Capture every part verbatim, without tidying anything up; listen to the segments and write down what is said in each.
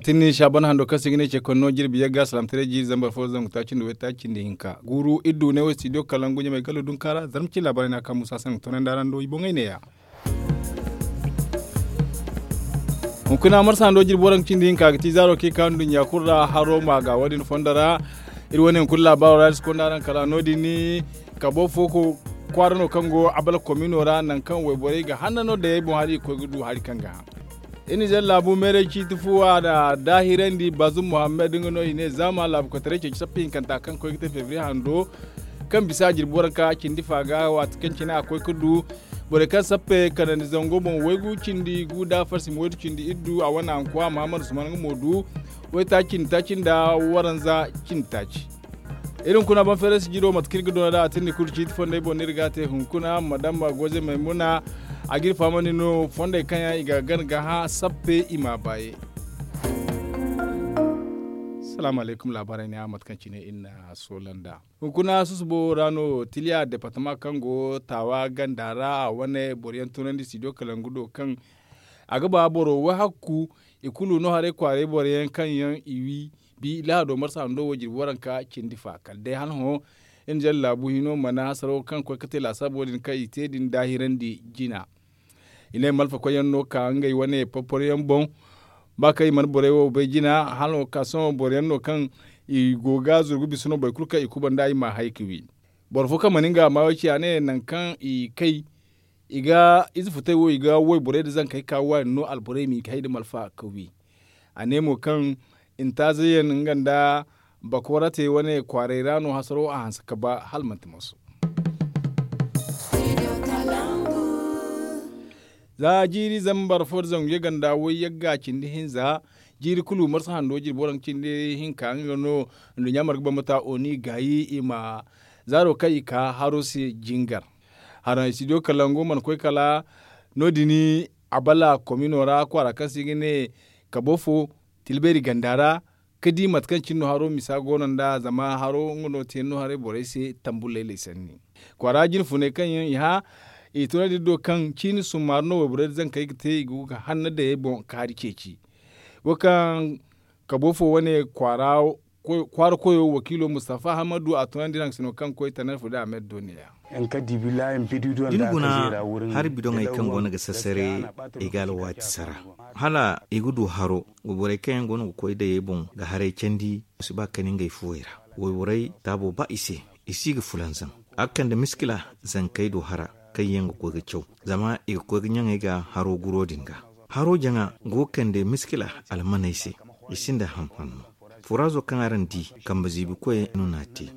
Tinni saaban hando kaŋ se i ga ne ce konno jirbi yagga salaamtaray jiiri zambar fo zangu taaci nda way taaci nda hinka guuru iddu ne wo studio kalangu ɲamay gallo dunka ra zarma cine laabaarey no a kaŋ musa sanni ga toonandi araŋ do i boŋey neeya. Hunkuna marsa hando jirbi waranka cindi hinka ga ti zaaro kaŋ i ka nduɲɲa kulu ra haro ma ga wo- din fondo ra. Iri wane hunkuna laabaaro ra iri si konda araŋ kala no- din kabo fo kwaara no kaŋ go abala komino ra nangu kaŋ wayborey ga hanna no dayey boŋ hala i ga koy ga du hari kaŋ ga hã. Iri nizer laabu meeray ciiti fu a na daahirandi baazum muhammad nga no i ne zaama laabu koytaray ceeci sappa hinkanta kaŋ koy ga te febriye hando kaŋ bisa jirbi waranka cindi fa ga waati kaŋ cine a koy ga du borey kaŋ sappe kanandi zango boŋ waygu cindi gu da farsim waydu cindi iddu a wane ankuwa muhammad usman nga mo du waytaaci cindi taaci nda waranza cindi taaci. Iri hunkuna ban feeray si jiro mate kaŋ iri ga doona da a tindi kulu ciiti fondey boŋ no iri ga a te hunkuna madama goze maymuna a ga iri fahamandi no fondey kaŋ yaŋ i ga gana ga hã sappe i ma baaye. Salaamu alaykum laabaarey ne a mate kaŋ cine iri na soola nd'a. Hunkuna susubo ra no tiliya departama kaŋ go taawa ganda ra a wane boro yaŋ tunandi studio kalangu do kaŋ a ga ba boro wahakku i kulu no haray kwaaray boro yaŋ kaŋ yaŋ i wi bi lahado marsa hando wo jirbi waranka cindi fa kala day hala hõ. Iri na jare laabu hino mana hasaro kaŋ koy ga te laasaabo din kaŋ i te din daahirandi jina. I ne malfa koyyaŋ no ka ngey wane porporo yaŋ boŋ ba kaŋ i mana borey wo bay jina hala hõ ka sohõ boro yaŋ no kaŋ i go ga zurgu bisa no boro kulu kaŋ i kubanda i ma hay ga wi. Boro fo kaŋ mana nga maayo ci a ne nangu kaŋ i kay i ga ize futay wo i ga wayborey nda zankey ka waani no alborey ma i ga hay nda malfa ga wi. A ne mo kaŋ intaazeyaŋ nga nda bakoorate wane kwaaray ra no hasaro a hanse ga ba hala manti moso. Za jiiri zambar fo nda zangu yagga nda way yagga cindi hinza jiiri kulu marsa hando jirbi waranka cindi hinka nga no nduɲɲa marga bambata oni gaayi i ma zaaro kaŋ i ka haro se jingar. Haraŋ studio kalangu mana koy kala no- din abala komino ra kwaara kaŋ se i ga ne kabo fo tilbeeri ganda ra ga di mate kaŋ cine no haro misa go no nd'a zama haro nga no te no haray borey se tambu laylay sanni. Kwaara jine funay kaŋ yaŋ i hã i tunandi iri do kaŋ ciini summaari no wayborey nda zankey ga te i go ga hanna dayey boŋ kaari ceeci. Wo kaŋ kabo fo wane kwaara koyo wakiilo mustafa hamadu a tunandi iri haŋ sino kaŋ koy tanar fo da a ma iri do neeya. Da ni guna hari bidoŋey kaŋ go no ga sasare i ga alwaati sara hala i ga du haro. Wayborey kaŋ yaŋ go no ga koy dayey boŋ ga haray candi i si ba kani ngey fuwey ra. Wayborey taabo ba i se i si ga fulanzaŋ a ga kande miskila zankey do hara kaŋ yaŋ ga koy ga caw zama i ga koy ga ɲaŋey ga haro guro din ga. Haro jaŋa go ga kande miskila almaney se i sinda hanhanno. Furazo kaŋ araŋ di kambe ziibikoy no n'a te.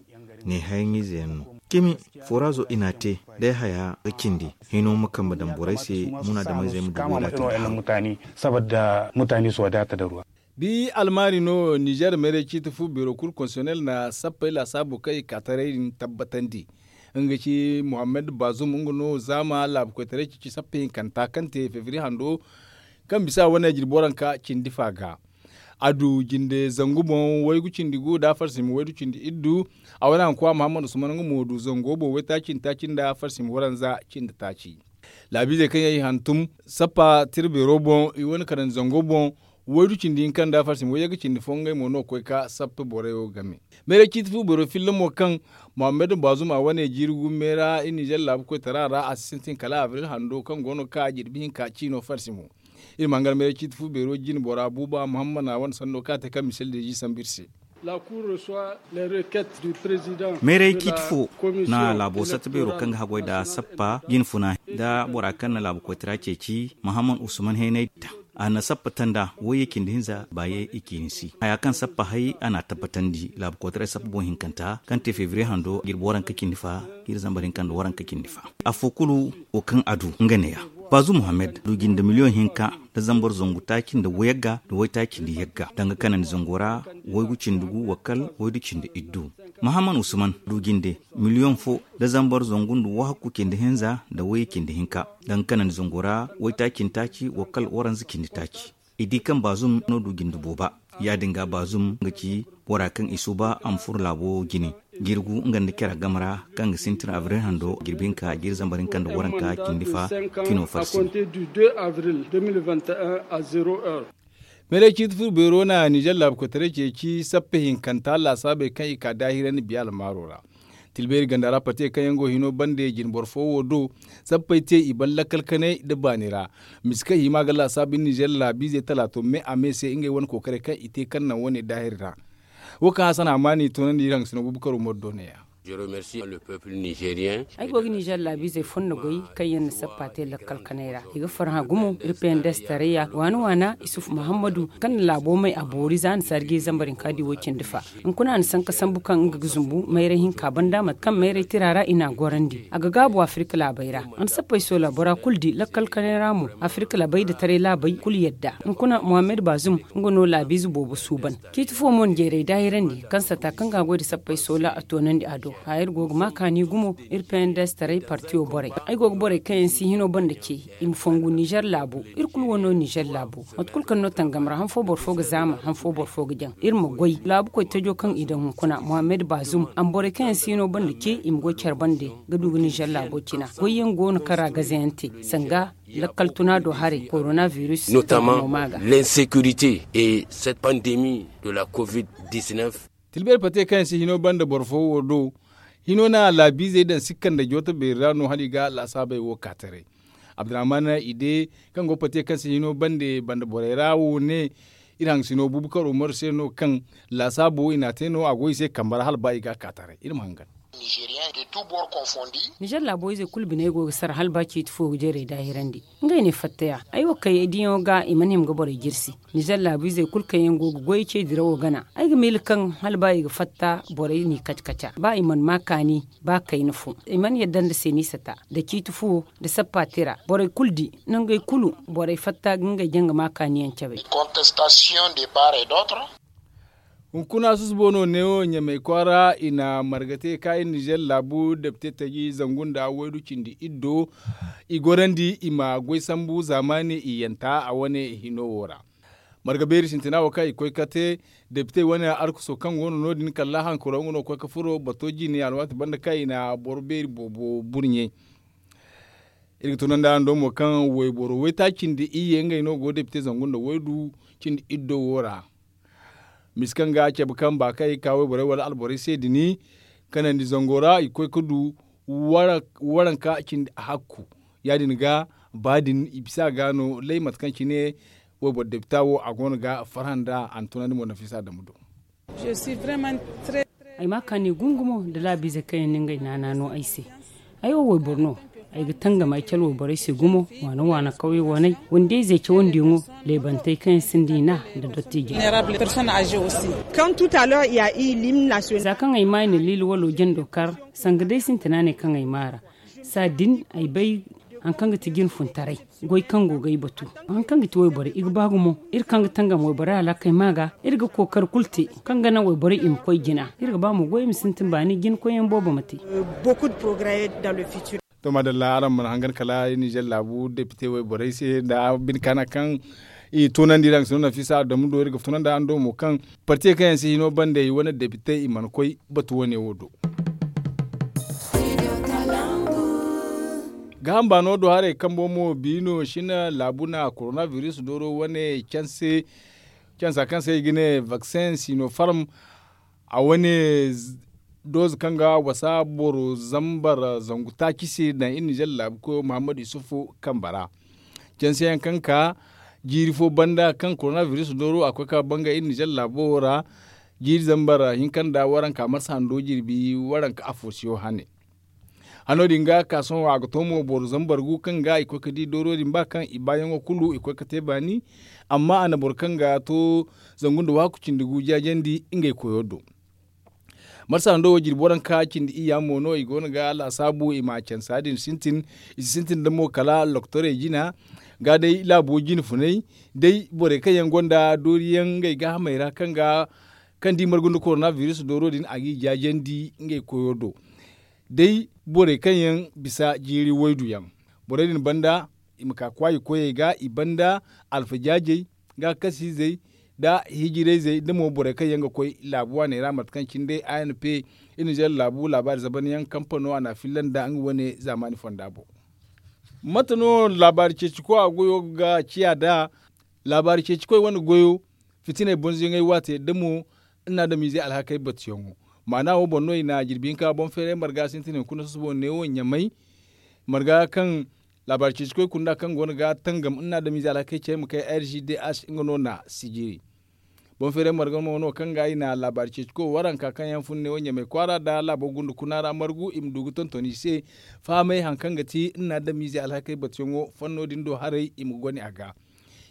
Ne hayaŋize yaŋ no cimi furazo i n'a te day haya ga cindi hino ma kambe daŋ borey se munaadamayzey ma du wayna te. Saboda mutane su wadata da ruwa. Bi almaari no nizer meeray ciiti fu beero kulu konsiyonel na sappey laasaabu kaŋ i ka taray din tabbatandi. Nga ci muhammad bazum nga no zaama laabu koytaray cici sappey hinkanta kaŋ te fevriye hando kaŋ bisa wane jirbi waranka cindi fa ga. A du jinde zangu boŋ waygu cindi gu nda afarsim waydu cindi iddu. A wane hankuwa muhammad usman nga mo du zango boŋ waytaaci nda taaci nda afarsim waranza cindi taaci. Laabiizey kaŋ yaŋ i hantum sappa tira beero boŋ i wane kanandi zango boŋ waydu cindi hinka nda afarsim wayyaŋ ga cindi fo ngey mo no ga koy ka sappa borey wo game. Meeray ciiti fu beero filla mo kaŋ muhammad bazum a wane jiiri gumme ra i nizer laabu koytara ra a si sintin kala abril hando kaŋ go no ga ka jirbi hinka ciino farsi mo. Iri ma hangar meeray ciiti fu beero jine bora buuba muhammad a wane sanno kaŋ a te kaŋ misel deezi sambu iri se. Meeray ciiti fo na laabo satta beero kaŋ ga haggoy nda sappa jine funa nda bora kaŋ na laabo koytara ceeci muhammad usman haynay da a na sappa tanda wayye cindi hinza baaye i ciini si haya kaŋ sappa hay a na a tabbatandi laabu koytaray sappa boŋ hinkanta kaŋ te fevriye hando jirbi waranka cindi fa jiiri zambar hinka nda waranka cindi fa. Afo kulu wo kaŋ a du nga neeya. Bazu muhammad du jinde miliyoŋ hinka nda zambar zangu taaci nda wayagga nda waytaaci nda yagga danga kanandi zango ra waygu cindi gu wa kal waydu cindi iddu. Mahaman usman du jinde miliyoŋ fo nda zambar zangu nda wahakku cindi hinza nda wayye cindi hinka danga kanandi zango ra waytaaci nda taaci wa kal waranza cindi taaci. I di kaŋ baazum no du jinde booba. Ya-din ga baazum nga ci bora kaŋ i suuba a ma furo laabo jine jirgu nga nda cara game ra kaŋ ga sintin abril hando jirbi hinka jiiri zambar hinka nda waranka cindi fa cino farsi. Meeley ciiti furo beero na ninzeer laabu koytaray ceeci sappe hinkanta laasaabey kaŋ i ka daahirandi biya almaaro ra. Tilbeeri ganda ra pate kaŋ yaŋ go hino bande jine boro fo wo do. Sappey te i ban lakkal kanay nda baani ra. Mise kaŋ i hima ga laasaabu ninzeer laabiizey talaato me a me se ngey wane kookaray kaŋ i te kaŋ naŋ wane daahir ra. Wo kaŋ hasan hamaani toonandi iri haŋ ga sino buubu karo moro do ne- ya. Ay go ga ninzeer laabiizey fondo goy kaŋ yaŋ na sappa te lakkal kanay ra i ga farhã gumo. Iri peendes tarayya waana waana isufu mahammadu kaŋ na laabo may a boori za a na saari ga i zambar hinka di wo cindi fa. Hunkuna a na sanka sambu kaŋ nga ga zumbu mayray hinka banda mate kaŋ mayray tira ra i n'a gorandi a ga gaabu afirka laabey ra. A na sappey soola bora kulu di lakkal kanay ra mo. Afirka laabey nda taray laabey kulu yadda hunkuna muhammad baazum nga no laabiize boobo suuban. Ciiti fo mo na jeeray daahirandi kaŋ sata kaŋ ga a goy nda sappey soola a toonandi a do. Haya iri go ga ma kaani gumo. Iri peendes taray partiyo borey ay go ga borey kaŋ yaŋ si hino banda ce i ma fongu ninzeer laabo. Iri kulu wano ninzeer laabo mate kulu kaŋ no tangam ra han fo boro fo ga zaama han fo boro fo ga jaŋ iri ma goy laabu koy tajo kaŋ i daŋ hunkuna muhammad baazum a ma borey kaŋ yaŋ si hino banda ce i ma goy care bande. Ga du ga ninzeer laabo cina goy yaŋ go no kaŋ ra gaze yaŋ te sanga lakkal tuna do haray korona virus. Notamment l'insécurité et cette pandémie de la covid. Dix-neuf. Tilbeeri pate kaŋ yaŋ si hino banda boro fo wo do. Hino na laabiizey daŋ sikka nda jooto beeri ra no hala i ga laasaabey wo ka taray. Abdurrahman ide kaŋ go pate kaŋ si hino bande banda borey ra wo ne. Iri haŋ sino buubu karo moro se no kaŋ laasaabo i n'a te no a go i se kambe ra hala ba i ga a ka taray iri ma hangan. Ninzeer laabo ize kulu biney go ga sara hala ba ciiti fo ga jeeray daahirandi. Ngey ne fatta ya ay wo kay diyaŋo ga i mana hima ga borey jirsi. Ninzeer laabu izey kulu kaŋ yaŋ go ga goyey ce dirawo gana ay ga miila kaŋ hala ba i ga fatta borey n'i kaci kaca ba i mana ma kaani. Ba kayna fo i mana yadda nda seenisata nda ciiti fuwo nda sappa tira borey kulu di nangey kulu. Borey fatta ga ngey jaŋ ga ma kaani yaŋ cabe. Hunkuna susubo no neewo ɲamey kwaara i na marga te ka iri nizer laabu depite taji zangu nda waydu cindi iddo. I gorandi i ma goy sambu zaamaani i yanta a wane hino wo ra. Marga beeri sintina wo kaŋ i koy ka te depite wane arkuso kaŋ go no no- din kala hankaro nga no koy ka furo bato jine alwaati banda kaŋ i na boro beeri boobo burɲe. Iri ga tunandi araŋ do mo kaŋ wayboro waytaaci cindi iyye ngey no go depite zangu nda waydu cindi iddo wo ra. Misi kaŋ ga cabe kaŋ ba kaŋ i ga ka wayborey wala alborey se din kanandi zango ra i ga koy ga du waranka cindi hakku. Ya- din ga ba din i bisa ga no lay mate kaŋ cine wayboro depita wo a go no ga farhã nda a na tunandi mo nafisa dama do. Ay ma kaani gungumo nda laabiizey kaŋ yaŋ na ngey naana no ay se. Ay wo wayboro no. Ay ga tangam ay cala wayborey se gumo waana waana kawye waney wandiyayzey cawandiyaŋo leebantey kaŋ yaŋ sinda i na nda dottiijey. Za kaŋ ay ma ay na liila walo jando kar sanga day sintina ne kaŋ ay ma a ra. Saa din ay bay hari kaŋ ga ti jinfuntaray goy kaŋ go ga ay batu. Hari kaŋ ga ti wayborey i ga ba gumo iri kaŋ ga tangam wayborey alaakey ma ga iri ga kookari kulu te kaŋ ga naŋ wayborey i ma koy jina iri ga ba mo goy i ma sintin baani jina koyyaŋ boobo ma te. To maadalla araŋ mana hangan kala nizer laabu depite wayborey se nda bine kaana kaŋ i toonandi iri haŋ sino nafisa adamu do iri ga tunandi araŋ do mo kaŋ partiyey kaŋ yaŋ si hino bande i wane depite i mana koy batu wane wo do. Gaaham baano do haray kambo mo biino sina laabu na korona biris dooro wane canse cansa kaŋ se i ga ne vaksin sinofarm. A wane dooze kaŋ ga wasa boro zambar zangu taaci se daŋ iri nizer laabu koyo muhammad yusufu kambe ra. Canse yaŋ kaŋ ka jiiri fo banda kaŋ korona biris dooro a koy ka banga iri nizer laabo wo ra. Jiiri zambar hinka nda waranka marsa hando jirbi waranka afo siyo hane. Hano din ga ka sohõ a ga to mo boro zambar gu kaŋ ga i koy ga di dooro din ba kaŋ i baayaŋo kulu i koy ga te baani. Amma a na boro kaŋ ga to zangu nda waaku cindi gu jaajandi ngey koyo do. Marsa hando wo jirbi waranka cindi iyya mo no i go no ga laasaabu i ma cansa din sintin. I si sintin nda mo kala loktorey jina ga day laabo jine funay day borey kaŋ yaŋ gonda dooriyaŋ ngey gaahamey ra kaŋ ga kaŋ da i margu nda korona biris dooro din a g'i jaajandi ngey koyo do. Day borey kaŋ yaŋ bisa jiiri waydu yaŋ borey din banda i ma ka kwaayi koyey ga i banda alfajaajey gaakasiizey nda hijirayzey nda mo borey kaŋ yaŋ ga koy laabu waaney ra mate kaŋ cine day a n p iri nizer laabu laabaari zabanyaŋ kampano a n'a filla nda nga wane zaamaani fonda boŋ. Mate no laabaari ceeci koy a goyo ga ciya nd'a? Laabaari ceeci koy wane goyo, fitiney bonzoyaŋey waate da mo, nna adamiizey alhakey batuyaŋo. Maana wo boŋ no i na jirbi hinka boŋ feeray marga sintin hunkuna susubo neewo ɲamay, marga kaŋ laabaari ceeci koy kunda kaŋ go no ga tangam nna adamiizey alhakey cey ma kay r g d h nga no na sijiri. Boŋ feeray marga mo no kaŋ ga i na laabaari ceeci koy waranka kaŋ yaŋ fun neewo ɲamay kwaara nda laabo gundu kuna ra margu i ma du ga tonton i se, fahamay hari kaŋ ga ti nna adamiizey alhakey batuyaŋo fanno din do haray i ma goni a ga.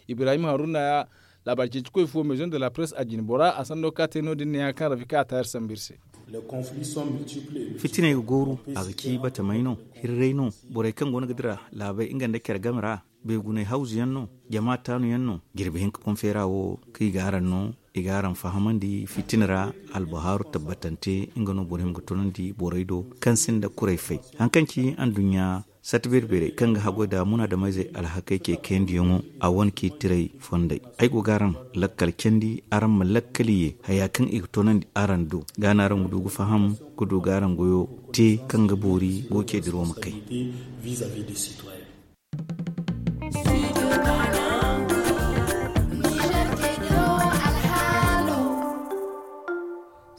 Ibrahim haruna, laabaari ceeci koy fo maison de la presse a jine bora a sanno ka te no- din ne ya kaŋ rafi ka a taayar sambu iri se. Fitiney ga gooru, a ga ci batamey no, hirray no, borey kaŋ go no ga dira laabey nga nda care game ra, beeguney hawzu yaŋ no, jama taanu yaŋ no. Jirbi hinka boŋ feera wo kaŋ i ga araŋ no, i ga araŋ fahamandi fitina ra, albahaaru tabbatante nga no boro hima ga tunandi borey do, kaŋ sinda kuray fay. Hari kaŋ ci anduɲɲa sata beeri-beerey kaŋ ga haggoy nda munaadameyzey alhakey ce kayandiyaŋo, a wane k'i tiray fondey. Ay go ga araŋ lakkal candi, araŋ ma lakkal ye haya kaŋ i ga toonandi araŋ do, ga no araŋ ga du ga faham, ga du ga araŋ goyo te kaŋ ga boori go ce diro ma kay.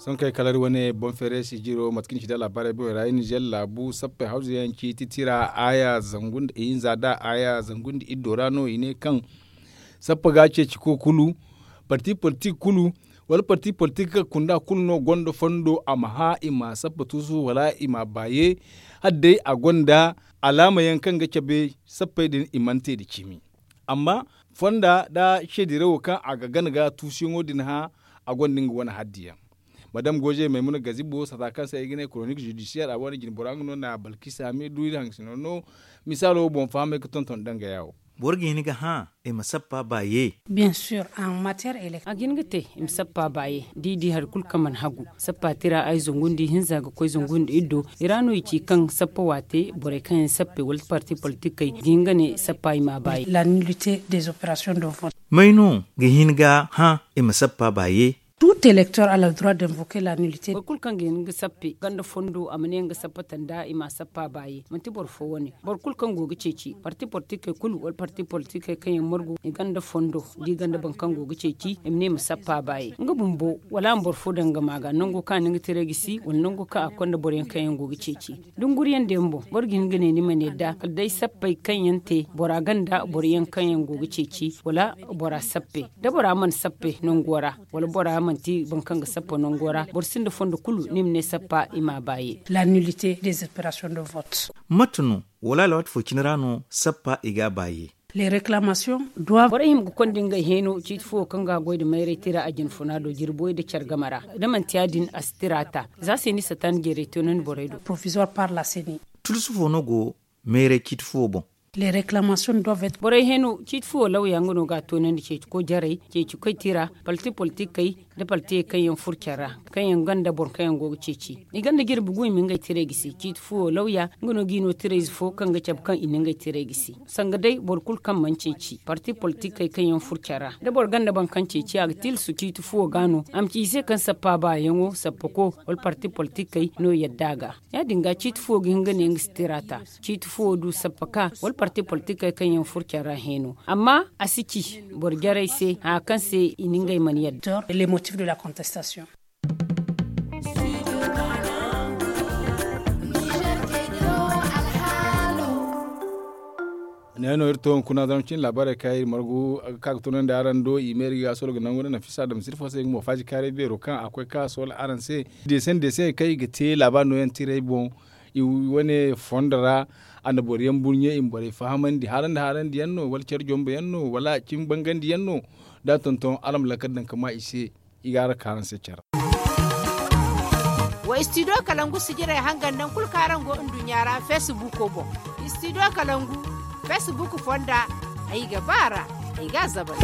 Sohõ kay kala iri wane boŋ feeray sijiro mate kaŋ i ci nda laabaarey boŋey ra iri nizeer laabu sappey hawzu yaŋ ciiti tira aaya zangu nda ihinza nda aaya zangu nda iddo ra no i ne kaŋ sappa ga ceeci ko kulu, parti politik kulu, wala parti politik kaŋ kunda kulu no gonda fondo a ma hã i ma sappa tuusu wala i ma a baaye. Hala day a gonda alaama yaŋ kaŋ ga cabe sappey din i mana te nda cimi. Amma fonda nda seedirawo kaŋ a ga gana ga tuusuyaŋo din hã, a gonda nga wane haddiyaŋ. Madame goze maymuna gazibo sata kaŋ se ay ga ne koronik zudisiyeer a wane jinbora nga no na balkisa me du iri haŋ ga sino no. Misaalo wo boŋ fahamay ga tonton dangaya wo. Boro ga hin ga hã i ma sappa baaye. A ga hin ga te i ma sappa baaye da i di hari kulu kaŋ mana hagu. Sappa tira ay zangu nda ihinza ga koy zangu nda iddo i ra no i ci kaŋ sappa waate borey kaŋ yaŋ sappe wala parti politikey ga hin ga ne sappa i ma a baaye. May no ga hin ga hã i ma sappa baaye? Tout elektor a la droit d'invoke la nullite. Boro kulu kaŋ ga hin ga sappe ganda fondo a ma ne nga sappata nda i ma sappa baaye manti boro fo wane. Boro kulu kaŋ go ga ceeci parti politikey kulu wala parti politikey kaŋ yaŋ margu i ganda fondo da i ganda boro kaŋ go ga ceeci i ma ne i ma sappa baaye nga bumbo wala a ma boro fo daŋ ga ma ga nango kaŋ a na nga tiray gisi wala nango kaŋ a konda boroyaŋ kaŋ yaŋ go ga ceeci. Dunguriyaŋ da yaŋ boŋ boro ga hin ga ne ni mana yadda kala day sappey kaŋ yaŋ te bora ganda boroyaŋ kaŋ yaŋ go ga ceeci wala bora sappe da bora mana sappe nango ra wala bora manti boro kaŋ ga sappa nango ra boro sinda fondo kulu ni ma ne sappa i ma a baaye. La nullite des operations de vote. Mate no wala alwaati fo cine ra no sappa i ga a baaye? Borey hima ga konda ngey heeno ciiti fuwo kaŋ ga goy nda mayray tira a jinfuna do jirboy nda care game ra. Da manti ya- din a si tira ta za se ni satan jeeray toonandi borey do. Tulusu fo no go mayray ciiti fuwo boŋ? Borey heeno ciiti fuwo lawya nga no ga a toonandi ceeci koy jarey ceeci koy tira, palti politikey, nda paltiyey kaŋ yaŋ furo care ra, kaŋ yaŋ gonda boro kaŋ yaŋ go ga ceeci i gonda jirbi gu i ma ngey tirey gisi ciiti fuwo lawya nga no ga i no tirayze fo kaŋ ga cabe kaŋ i na ngey tirey gisi. Sanga day boro kulu kaŋ mana ceeci parti politikey kaŋ yaŋ furo care ra da boro gonda boro kaŋ ceeci a ga tilasu ciiti fuwo ga no a ma ci i se kaŋ sappa baayaŋo sappako wala parti politikey no yadda a ga. Ya- din ga ciiti fuwo ga hin ga ne nga si tira ta. Ciiti fuwo du sappa ka wala parti politikey kaŋ yaŋ furo care ra heeno amma a si ci boro jarey se haya kaŋ se i na ngey mana yadda. Ne no iri to hunkuna zama cine laabaarey kaŋ iri margu ga ka ga tunandi araŋ do i ma iri ga solo ga nangu nda nafisa adama sirfo se nga mo faaji kaaray beero kaŋ a koy ka solo araŋ se. Deesaŋ deesaŋey kaŋ i ga te laabaari nooyaŋ tiray boŋ i wane fondo ra. A na boro yaŋ burɲe i ma borey fahamandi haarandi haarandi yaŋ no wala care jombo yaŋ no wala cimi bangandi yaŋ no. Da a tonton araŋ ma lakkal daŋ ka ma i se. I ga a raka araŋ se care. Wa istidiyo kalangu sijirey hangan naŋ kulu kaŋ araŋ go nduɲɲa ra feesibuuko boŋ. Istidiyo kalangu feesibuuko fonda ay ga ba a ra. Ay ga a zabay.